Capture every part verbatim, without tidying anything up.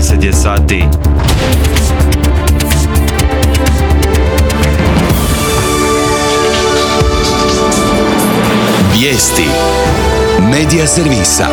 dvadeset je sati. Vijesti Medija servisa.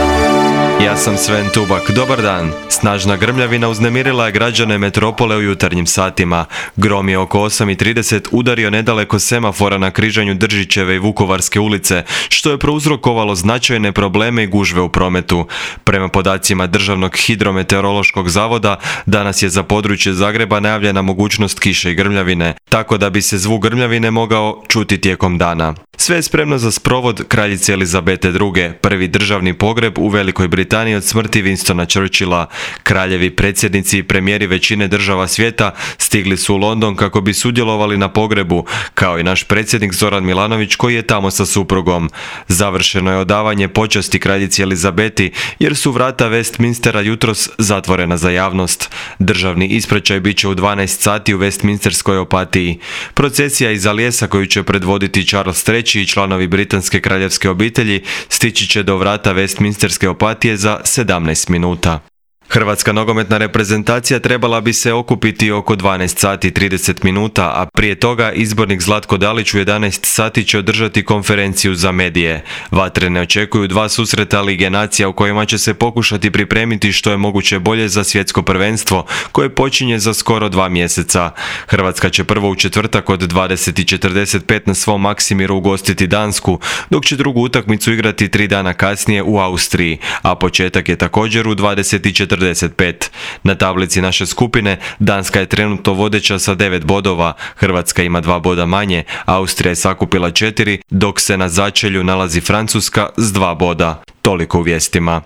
Ja sam Sven Tubak, dobar dan. Snažna grmljavina uznemirila je građane metropole u jutarnjim satima. Grom je oko osam i trideset udario nedaleko semafora na križanju Držićeve i Vukovarske ulice, što je prouzrokovalo značajne probleme i gužve u prometu. Prema podacima Državnog hidrometeorološkog zavoda, danas je za područje Zagreba najavljena mogućnost kiše i grmljavine, tako da bi se zvuk grmljavine mogao čuti tijekom dana. Sve je spremno za sprovod kraljice Elizabete druge, prvi državni pogreb u Velikoj Britaniji od smrti Winstona Churchilla. Kraljevi, predsjednici i premijeri većine država svijeta stigli su u London kako bi sudjelovali na pogrebu, kao i naš predsjednik Zoran Milanović koji je tamo sa suprugom. Završeno je odavanje počasti kraljici Elizabeti jer su vrata Westminstera jutros zatvorena za javnost. Državni ispraćaj bit će u dvanaest sati u Westminsterskoj opatiji. Procesija iza lijesa koju će predvoditi Charles treći i članovi britanske kraljevske obitelji stići će do vrata Westminsterske opatije za sedamnaest minuta. Hrvatska nogometna reprezentacija trebala bi se okupiti oko dvanaest sati i trideset minuta, a prije toga izbornik Zlatko Dalić u jedanaest sati će održati konferenciju za medije. Vatrene očekuju dva susreta Lige nacija u kojima će se pokušati pripremiti što je moguće bolje za svjetsko prvenstvo koje počinje za skoro dva mjeseca. Hrvatska će prvo u četvrtak od dvadeset i četrdeset pet na svom Maksimiru ugostiti Dansku, dok će drugu utakmicu igrati tri dana kasnije u Austriji, a početak je također u dvadeset i četrdeset pet. Na tablici naše skupine Danska je trenutno vodeća sa devet bodova, Hrvatska ima dva boda manje, Austrija je sakupila četiri, dok se na začelju nalazi Francuska s dva boda. Toliko u vijestima.